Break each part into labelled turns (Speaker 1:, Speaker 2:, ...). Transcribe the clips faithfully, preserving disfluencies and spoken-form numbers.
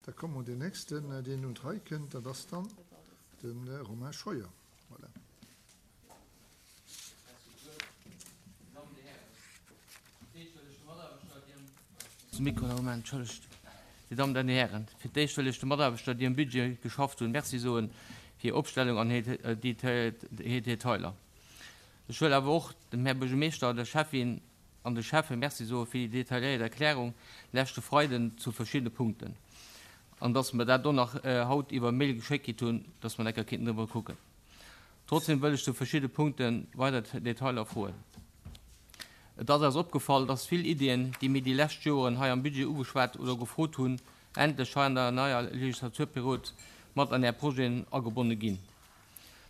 Speaker 1: Da komme mer un deen nächsten, deen un d'Rei kënnt, dat ass dann de Romain Scheuer. Voilà.
Speaker 2: Dir Dammen an Dir Hären, fir d'éischt wëll ech de Mataarbechter, déi um Budget geschafft hunn, Merci soe fir hir Opstellung an hir Detailer. Ech wëll awer och dem Här Buergermeeschter, der Schäffin an de Schäffe Merci soe fir déi detailléiert Erklärung leschte Freiden zu verschiddene Punkten an dass mer dat do nach haut iwwer Mail geschéckt kritt hunn, dass mer enker kéinten driwwer kucken. Trotzdem wëll ech zu verschidde Punkte weider Detailer froen. Et ass eis opgefall, dass vill Iddien, déi mir déi lescht Joren hei am Budget ugeschwat oder gefrot hunn, endlech hei an der neier Legislaturperiod mat an Är Projeten agebonne ginn.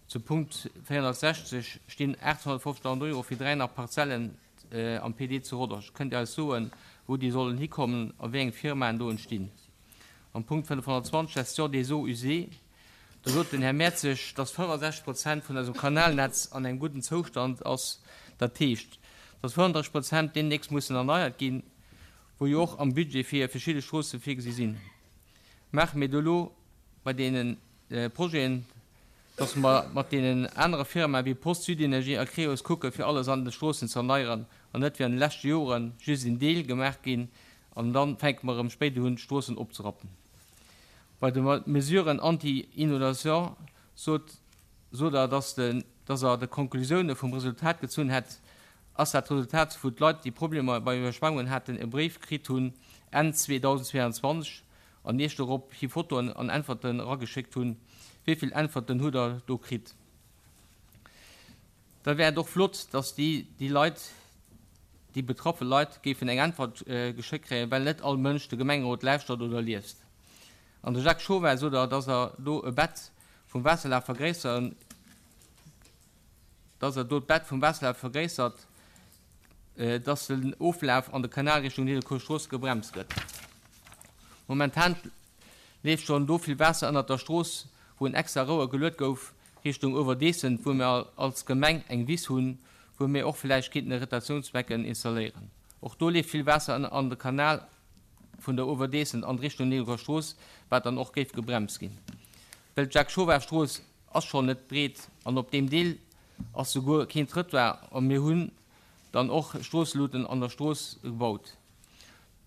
Speaker 2: Zum Punkt véierhonnertsechzeg stinn aathonnertfofzegdausend Euro fir dräi nach Parzellen am P D zu Rodange. Kënnt Dir eis soen, wou déi sollen hikommen a wéi eng Firmaen do entstinn? Am Punkt fënnefhonnertzwanzeg, Gestion des eaux usées, do sot den Här Mertzig, dass fënnefensechzeg Prozent vun eisem Kanalnetz an engem gudden Zoustand ass. Dat heescht, dass fënnenddrësseg Prozent deemnächst mussen erneiert ginn, wou jo och am Budget fir verschidde Stroosse virgesi sinn. Maache mir do elo bei deene Projeten, dass mer mat deenen anere Firmae wéi Post, Südenergie a Creos kucke fir alles an de Stroossen ze erneieren an net wéi an de leschte Jore just en Deel gemaach ginn an dann fänke mer erëm spéider un d'Stroossen opzerappen. Bei de Mesuren anti-inondation sot sot Der, dass de dass Der de Konklusioune vum Resultat gezunn hätt. Ass dat Resultat, wou d'Leit, déi Problemer bei Iwwerschwemmungen haten, e Bréif kritt hunn Enn zweedausendzweeanzwanzeg an Iech dorop hi Fotoen an Äntwerten erageschéckt hunn? Wéi vill Äntwerten hutt Der do kritt? Da wär et och flott, dass déi déi Leit, déi betraffe Leit géifen eng Äntwert geschéckt kréien, well net all Mënsch de Gemengerot lauschtert oder liest. An de Jacques Chauvet sot Der, dass Der do e Bett vum Waasserlaf vergréisseren, dass Der do d'Bett vum Waasserlaf vergréissert, dass den Oflaf an de Kanal Richtung Nidderkuer Strooss gebremst gëtt. Momentan leeft schonn do vill Waasser ënnert der Strooss, wou en extra Rouer geluet gouf Richtung Uewerdeessen, wou mir als Gemeng eng Wiss hunn, wou mir och vläicht kéinten e Retentiounsbecken installéieren. Och do leeft vill Waasser an de Kanal vun der Uewerdeessen an Richtung Nidderkuer Strooss, wat dann och géif gebremst ginn. Well d'Jacques Chauvet Strooss ass schonn net breet an op deem Deel ass souguer keen Trëttoir a mir hunn dann och Stroosseluten an der Strooss gebaut.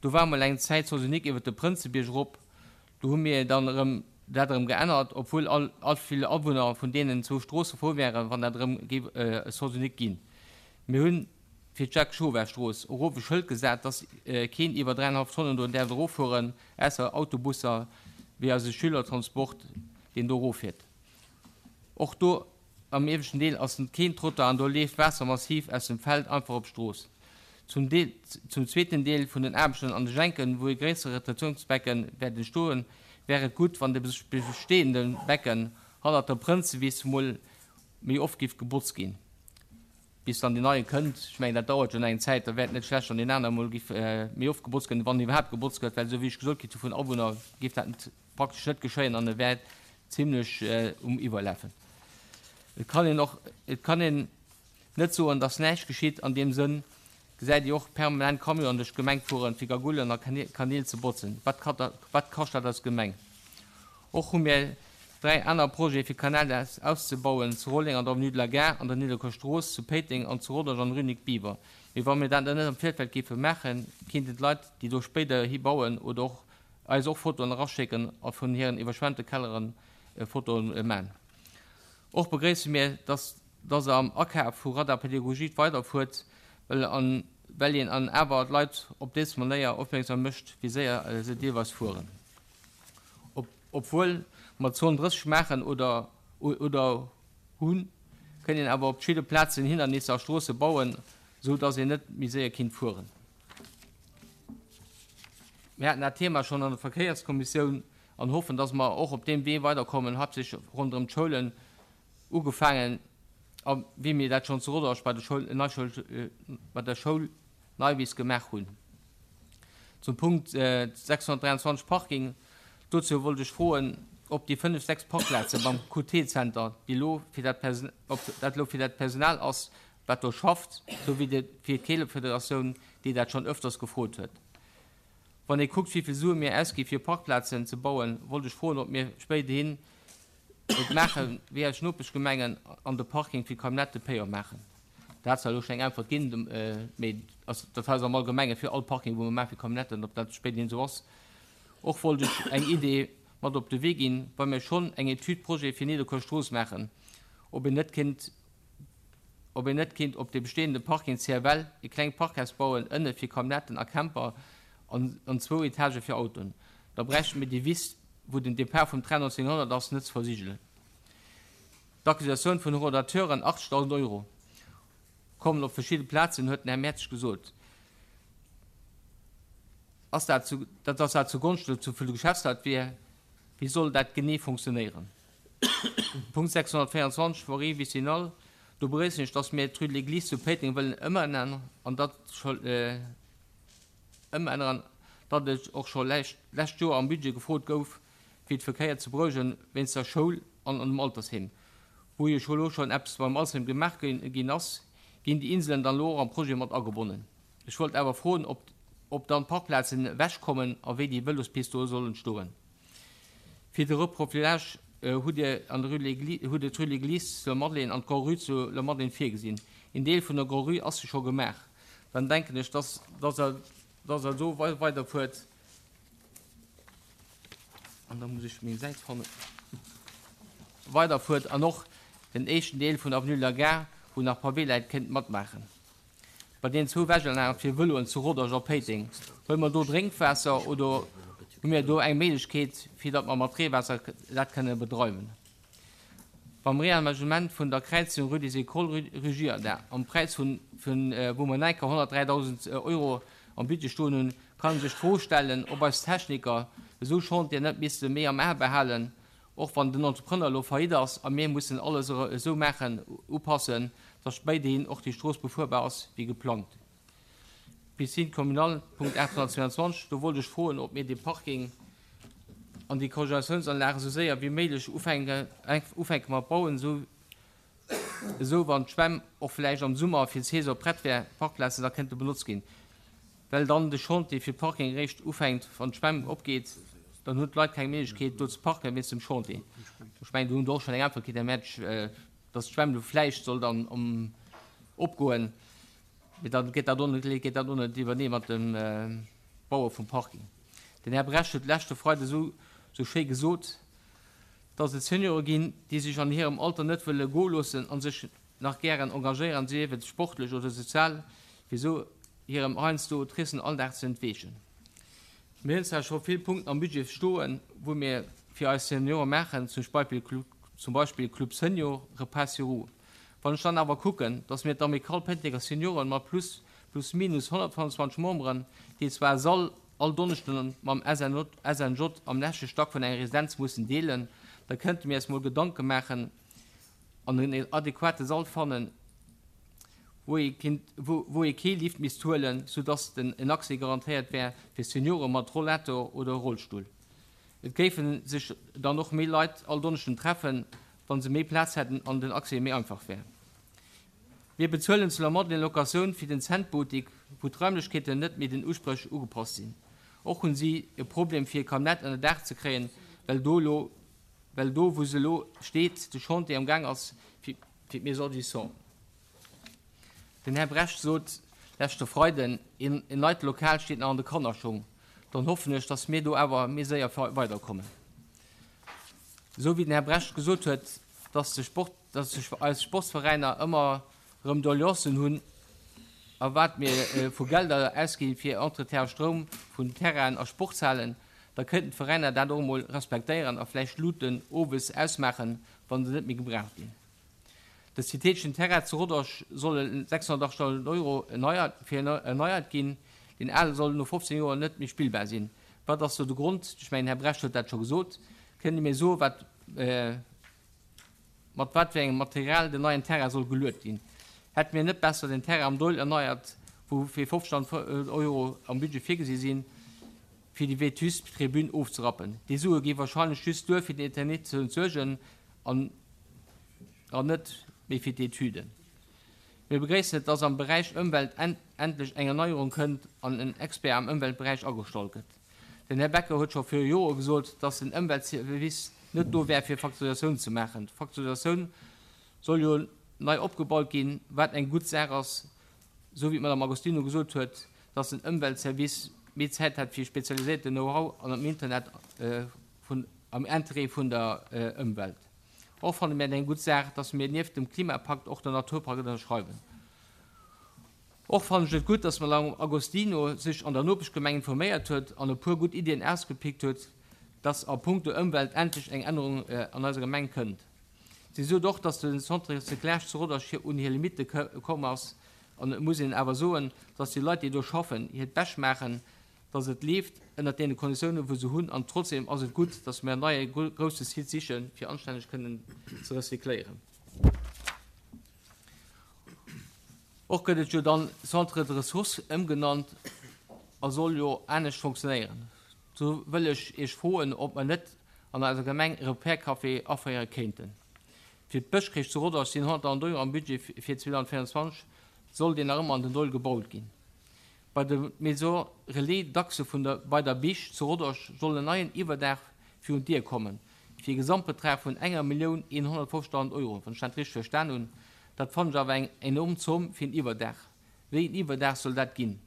Speaker 2: Do war mol eng Zäit Sens unique iwwer de Prënzebierg erop, do hu mir dann erëm dat erëm geännert, obwuel all all vill Awunner vun deenen zwou Stroosse frou wären, wann dat erëm géif e Sens unique ginn. Mir hunn fir d'Jacques Chauvet Strooss erof e Schëld gesat, dass keen iwwer dräienhallef Tonnen do däerf eroffueren, ausser Autobusser wéi eise Schülertransport, deen do eroffiert. Och do am ieweschten Deel ass keen Trottoir an do leeft Waasser massiv aus dem Feld einfach op d'Strooss. Zum Deel, zum zweeten Deel vun den Aarbechten an de Schenken, wou e gréissere Retentiounsbecken wäert entstoen, wär et gutt, wann de bestehende Becken hannert der Prënzewiss mol méi oft giff gebotzt ginn, bis dann deen neie kënnt. Ech mengen, dat dauert jo nach eng Zäit, da wär et net schlecht, wann deen anere mol giff méi oft gebotzt ginn, wann iwwerhaapt gebotzt gëtt, well esou wéi ech gesot kritt hu vun Awunner, giff dat net, praktesch net geschéien an e wär zimlech um Iwwerlafen. Et kann een och, et kann een net soen, dass näischt geschitt. An deem Sënn gesäit Dir och permanent Camionen duerch d'Gemeng fueren, fir Gagullen a Kanäl ze botzen. Wat wat kascht dat eis Gemeng? Och hu mir dräi aner Projete fir Kanäl auszebauen, zu Rolleng an der Avenue de la Gare, an der Nidderkuer Strooss, zu Péiteng an zu Rodange an der Rue Nic Biever. Mee wa mir dat net am Virfeld géife maachen, kéinten d'Leit, déi do spéider hi bauen oder och eis och Fotoen eraschécken a vun hiren iwwerschwemmte Kellere Fotoen man. Och begréisse mir, dass dass Der am Akaf vu Radar Pédagogique weiderfuert, well an well een an awer d'Leit op des Manéier opmierksam mécht, wéi séier se deelweis fueren. Ob obwuel mer Zon drësseg maachen oder oder hunn, kënn een awer op verschidde Plazen Hindernisser a Stroosse bauen, esou dass een net méi séier kinnt fueren. Mir haten dat Thema schonn an der Verkéierskommissioun an hoffen, dass mer och op deem Wee weiderkommen, haaptsächlech ronderëm d'Schoulen, ugefaangen a wéi mir dat schonn zu Rodange bei der Schoul Neischoul bei der Schoul Neiwiss gemaach hunn. Zum Punkt sechshonnertdräianzwanzeg Parking, dozou wollt ech froen, ob déi fënnef, sechs Parkplaze beim Q T-Zenter, déi elo fir dat Person ob dat elo fir dat Personal ass, wat do schafft, esou wéi de fir d'Keelefederatioun, déi dat schonn öfters gefrot huet. Wann ee kuckt, wéi vill Sue mir ausgi fir Parkplazen ze bauen, wollt ech froen, ob mir spéiderhin et maache wéi eis Nopeschgemengen an de Parking fir Camionnette payant maachen. Da hat se elo schonn eng Äntwert ginn, mee dat heißt am Allgemenge fir all Parking, wou mer maache fir Camionnetten, ob dat spéiderhin esou ass. Och wollt ech eng Idee mat op de Wee ginn, wa mir schonn eng Etüd Projet fir Nidderkuer Strooss maachen, ob een net kéint ob een net kéint op de bestehende Parking C F L e klengt Parkhaus bauen, ënne fir Camionnetten a Camper an, an zwou Etagë fir Autoen. Da bräichte mir déi Wiss, wou den Depart vum Train nonzénghonnert ass, net ze versigelen. D'Accusatioun vun Horodateuren, achtzegdausend Euro kommen op verschidde Plazen, huet den Här Mertz gesot. Ass dat zu, dat ass dat zugonschte zu vun de Geschäftsleit wier, wéi soll dat genee funktionéieren? Punkt sechshonnertvéierenzwanzeg, Voirie vicinale, do begréissen ech, dass mir d'Rue de l'Église zu Péiteng wëllen ëmänneren an dat scho äh, ëmänneren, datt et och scho lescht, lescht Joer am Budget gefrot gouf, fir de Verkéier ze berouegen wéinst der Schoul an an dem Altersheem. Wou jo scho lo schonn eppes beim Altersheem gemaach ginn ass, ginn déi Inselen dann lo och am Projet mat agebonnen. Ech wollt awer froen, ob, ob dann Parkplazen ewechkommen a wéi déi Vëlospiste do sollen stoen. Fir de Reprofilage äh, hutt Dir an der Rue de hutt Dir d'Rue de l'Église zu Madeleine an d'Grand-Rue zu La Madeleine virgesinn. Een Deel vun der Grand-Rue ass scho gemaach. Dann denken ech, dass, dass der, dass der esou weiderfuert. An da muss ech meng Säit fannen. Weiderfuert an och den éischten Deel vun Avenue de la Gare, wou nach Pavé läit, kënnt matmaachen. Bei den zwou Wäschanlagen fir Vëloen zu Rodange a Péiteng, huele mer do Drénkwaasser oder hu mir do eng Méiglechkeet, fir datt mer mat Reewaasser dat kënne bedreiwen? Beim Reamenagement vun der Kräizung Rue des Écoles, Rue Girardin, am Präis vun, vun wou mer enker honnertdräidausend Euro am Budget stoen hunn, kann ee sech d'Fro stellen, ob eis Techniker esou Chantier net misste méi am A behalen, och wann den Entrepreneur elo faillite ass a mir mussen alles esou maachen, upassen, datt spéiderhin och déi Strooss befuerbar ass wéi geplangt. Piscine communale, Punkt aathonnertzweianzwanzeg, do wollt ech froen, ob mir de Parking an déi Congélatiounsanlag esou séier wéi méiglech ufänke ufänke mat bauen, esou esou wann d'Schwämm och vläicht am Summer fir d'Saison prett wär, Parkplazen da kënnte benotzt ginn. Well dann de Chantier fir Parking eréischt ufänkt, wann d'Schwämm opgeet, dann hunn d'Leit keng Méiglechkeet do ze parken wéinst dem Chantier. Ech mengen, do hunn der och schonn eng Äntwert kritt, Här Mertsch, dass d'Schwämm do vläicht soll dann um opgoen, mee dann geet dat och net, geet dat och net iwwernee mat dem Baue vum Parking. Den Här Brecht huet leschte Freide sou sou schéi gesot, dass et Seniore ginn, déi sech an hirem Alter net wëlle goe loossen a sech nach gären engagéieren, sief et sportlech oder sozial, fir sou hirem heiansdo tristen Alldag ze entweechen. Mir hunn zwar scho vill Punkten am Budget stoen, wou mir fir eis Seniore maachen, zum Beispill zum Beispill Club Senior, Repas sur roues. Wann ech dann awer kucken, dass mir d'Amicale Péitenger Senioren mat plus plus minus honnertfënnfanzwanzeg Memberen, déi zwar e Sall all Donneschden mam S N J am leschte Stack vun enger Residenz mussen deelen, da kënnte mir eis mol Gedanke maachen an en adequate Sall fannen, wou ee kinnt, wou, wou ee kee Lift misst huelen, soudass den en Accès garantéiert wär fir Seniore mat Rollator oder Rollstull. Et géife sech dann och méi Leit all Donneschden treffen, wa se méi Plaz hätten an den Accès méi einfach wär. Mir bezuelen zu La Madeleine Locatioun fir den Centboutique, wou d'Raimlechkeeten net méi den Uspréch ugepasst sinn. Och hunn si e Problem fir e Camionnette ënner Daach ze kréien, well do lo, well do wou se elo steet de Chantier am Gaang ass fir fir d'Maison du Sang. Den Här Brecht sot leschte Freiden, een en neit Lokal steet nach an de Kannerschong. Dann hoffen ech, dass mir do awer méi séier weiderkommen. Esou wéi den Här Brecht gesot huet, dass de Sport, dass sech eis Sportsveräiner ëmmer erëm Doleancen hunn a wat mir vu Gelder ausginn fir Entretien a Stroum vun Terrainen a Sportshalen, da kënnten d'Veräiner dat och emol respektéieren a vläicht d'Luuten owes ausmaachen, wa se net méi gebraucht ginn. De syntheteschen Terrain zu Rodange solle sechshonnertachtzegdausend Euro erneiert, fir erneiert ginn. Deen ale soll no fofzéng Joer net méi spillbar sinn. Wat ass do de Grond? Ech mengen, Här Brecht huet dat scho gesot. Kënnt Dir mir soen, wat, mat wat fir engem Material den neien Terrain soll geluet ginn? Hätte mir net besser den Terrain am Doihl erneiert, wou fir fofzegdausend Euro am Budget virgesi sinn, fir déi vétuste Tribün ofzerappen? Déi Sue gi wahrscheinlech just duer, fir den Eternit ze entsuergen an an net méi fir d'Etüden. Mir begréissen et, dass am Beräich Ëmwelt endlech eng Erneierung kënnt an en Expert am Ëmweltberäich agestallt gëtt. Den Här Becker huet scho viru Jore gesot, dass den Ëmweltservice net do wär fir Facturatioun ze maachen. D'Facturatioun soll jo nei opgebaut ginn, wat eng gutt Saach ass, sou wéi d'Madame Agostino gesot huet, dass den Ëmweltservice méi Zäit hätt fir spezialiséierten Know-how an am Internet vun am Interêt vun der Ëmwelt. Och fanne mir et eng gutt Saach, dass mir nieft dem Klimapakt och den Naturpakt ënnerschreiwen. Och fannen ech et gutt, dass d'Madame Agostino sech an der Nopeschgemeng informéiert huet an e puer gutt Iddien ausgepickt huet, dass a punkto Ëmwelt endlech eng Ännerung an eiser Gemeng kënnt. Si sot och, dass de Centre Recyclage zu Rodange un hir Limitte komm ass an et muss een awer soen, dass déi Leit, déi do schaffen, hiert Bescht maachen, dass et leeft ënnert deene Konditiounen, wou se hunn an trotzdem ass et gutt, dass mir en neie grousse Site sichen, fir anstänneg kënnen ze recycléieren. Och gëtt et jo dann Centre de ressources ëmgenannt a soll jo anescht fonctionnéieren. Do wëll ech Iech froen, ob mer net an eiser Gemeng e Repair-Café aféiere kéinten. Fir d'Bëschcrèche zu Rodange sinn honnertdausend Euro am Budget fir zweedausendvéierundzwanzeg, soll deen nach ëmmer an den Doihl gebaut ginn. Bei der Maison Relais Dachse vun der bei der Bich zu Rodange soll en neien Iwwerdaach virun d'Dier kommen, fir e Gesamtbetrag vun enger Millioun eenhonnertfofzegdausend Euro, wann ech dat richteg verstan hunn. Dat fannen ech awer eng enorm Zomm fir en Iwwerdaach. Wéi en Iwwerdaach soll dat ginn?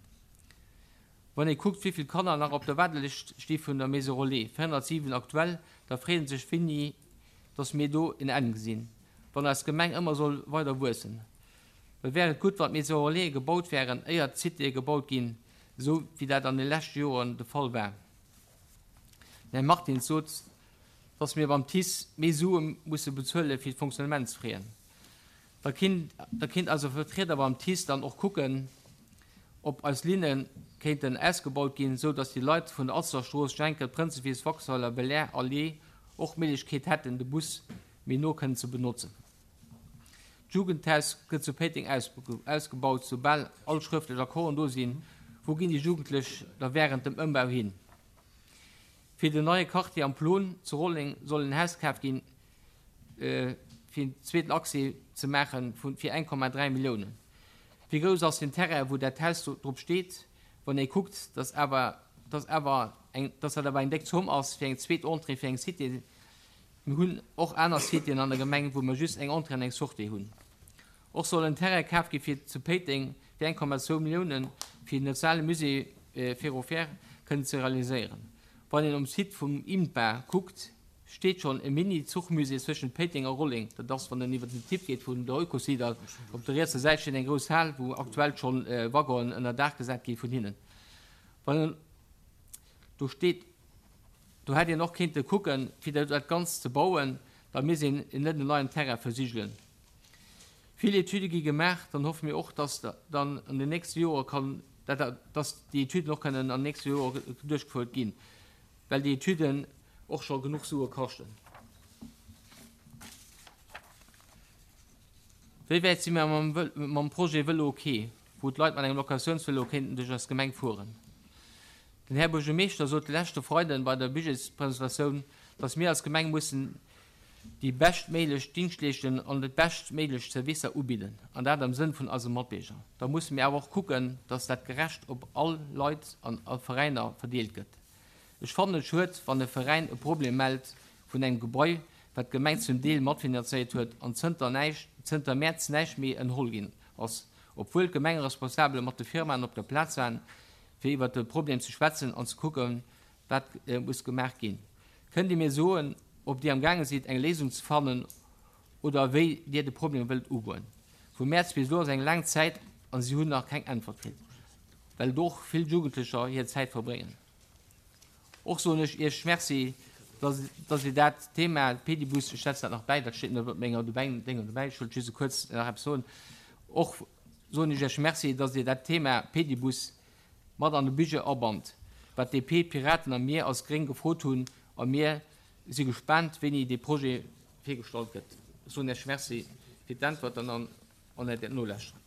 Speaker 2: Wann ee kuckt, wéi vill Kanner nach op der Waardelëscht sti vun der Maison Relais, véierhonnertsiwen aktuell, da freet ee sech, wéini dass mir do en Enn gesinn, wann eis Gemeng ëmmer soll weider wuessen. Da wär et gutt, wann d'Maison Relaisen gebaut wären, éier d'Citéë gebaut ginn, esou wéi dat an de leschte Joren de Fall war. Den Här Martins sot, dass mir beim TICE méi Sue musse bezuele fir d'Fonctionnementsfraisen. Da kinnt, da kinnt eise Vertrieder beim TICE dann och kucken, ob eis Linne kéinten ausgebaut ginn, esou dass déi Leit vun der Alsterstrooss, Schenkel, Prënzewiss, Waxweiler, Belair, Allee och d'Méiglechkeet hätten, de Bus méi no kënnen ze benotzen. D'Jugendhaus gëtt zu Péiteng ausgebaut, soubal all schrëftlech Accorden do sinn. Wou ginn déi Jugendlech da wärend dem Ëmbau hin? Fir den neie Quartier am Plon zu Rolleng soll en Haus kaf ginn, fir en zweeten Accès ze maachen, fir eng Komma dräi Milliounen. Wéi grouss ass den Terrain, wou dat Haus drop steet? Wann ee kuckt, dass awer, dass awer eng, dass dat awer eng déck Zomm ass fir eng zweet Entrée fir eng Cité. Mir hunn och aner Citéen an der Gemeng, wou mer just eng Entrée an eng Sortie hunn. Och soll en Terrain kaf gi fir zu Péiteng fir eng Komma zwou Milliounen, fir den nationale Musée ferroviaire kënnen ze realiséieren. Wann een um Site vum INPA kuckt, steet schonn e Mini-Zuchmusée zwëschent Péiteng a Rolleng. Dat ass, wann een iwwer den Tipp geet vun der Eucosider, op der rietser Säit steet eng grouss Hal, wou aktuell schonn Waggonen ënner Daach gesat gi vun hinnen. Wann een do steet, do hätt een och kéinte kucken, fir dat Ganzt ze bauen, da misst een net en neien Terrain versigelen. Vill Etüde gi gemaach, dann hoffe mir och, dass dann an den nächste Jore kann, dass déi Etüden och kënnen an den nächste Jore duerchgefouert ginn, well déi Etüden och scho genuch Sue kaschten. Wéi wäit si mir mam Projet Vëlo ok, wou d'Leit mat engem Locatiounsvëlo kéinten duerch eis Gemeng fueren? Den Här Buergermeeschter sot de leschte Freiden bei der Budgetspresentatioun, dass mir als Gemeng mussen déi beschtméiglech Dingschtleeschtungen an déi beschtméiglech Servicer ubidden, an dat am Sënn vun eise Matbierger. Da musse mir awer och kucken, dass dat gerecht op all Leit an all Veräiner verdeelt gëtt. Ech fannen et schued, wann e Veräin e Problem mellt vun engem Gebai, wat d'Gemeng zum Deel matfinanzéiert huet an zënter näischt, zënter Mäerz näischt méi ënnerholl ginn ass, obwuel d'Gemengeresponsabele mat de Firmaen op der Plaz waren, fir iwwert de Problem ze schwätzen an ze kucken, wat muss gemaach ginn. Kënnt Dir mir soen, ob Dir amgaange sidd, eng Léisung ze fannen oder wéi Dir de Problem wëllt ugoen? Vu Mäerz bis elo ass eng laang Zäit a si hunn nach keng Äntwert kritt, well do och vill Jugendlecher hir Zäit verbréngen. Och soen ech Iech Merci, dass, dass Dir dat Thema Pedibus, ech setzen dat nach bäi, dat steet net op menger Déngen dobäi, ech wollt just e kuerz nach eppes soen, och soen ech Iech Merci, dass Dir dat Thema Pedibus mat an de Budget abannt, wat D P, d'Piraten a mir als Gréng gefrot hunn, a mir si gespaant, wéini dee Projet virgestallt gëtt. Ech soen Iech Merci fir d'Äntwerten an an Äert Nolauschteren.